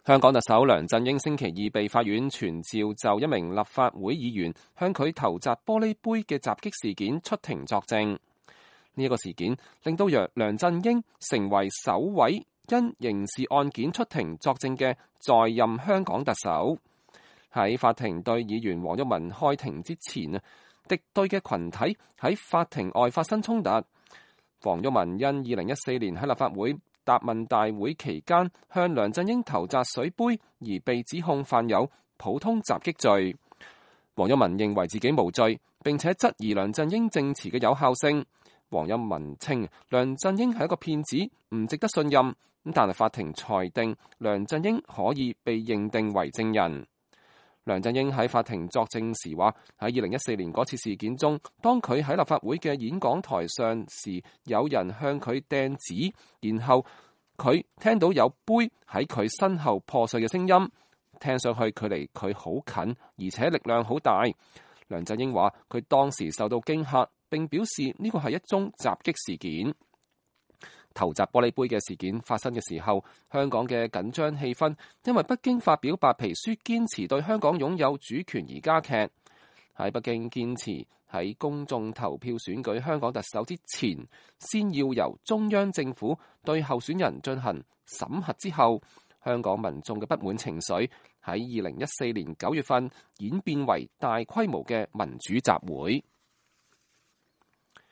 香港特首梁振英星期二被法院傳召就一名立法會議員向佢投擲玻璃杯嘅襲擊事件出庭作證。呢個事件令到梁振英成為首位因刑事案件出庭作證嘅在任香港特首。喺法庭對議員黃毓民開庭之前，敵對嘅群體喺法庭外發生衝突。黃毓民因2014年喺立法會答問大會期間向梁振英投擲水杯而被指控犯有普通襲擊罪。黃毓民認為自己無罪，並且質疑梁振英證詞嘅有效性。黃毓民稱梁振英係一個騙子，唔值得信任。但係法庭裁定梁振英可以被認定為證人。梁振英喺法庭作證時話：喺2014年嗰次事件中，當佢喺立法會嘅演講台上時，有人向佢掟紙，然後佢聽到有杯喺佢身後破碎嘅聲音，聽上去距離佢好近，而且力量好大。梁振英話：佢當時受到驚嚇，並表示呢個係一宗襲擊事件。投擲玻璃杯嘅事件發生嘅時候，香港嘅緊張氣氛因為北京發表白皮書堅持對香港擁有主權而加劇。喺北京堅持喺公眾投票選舉香港特首之前，先要由中央政府對候選人進行審核之後，香港民眾嘅不滿情緒喺2014年9月份演變為大規模嘅民主集會。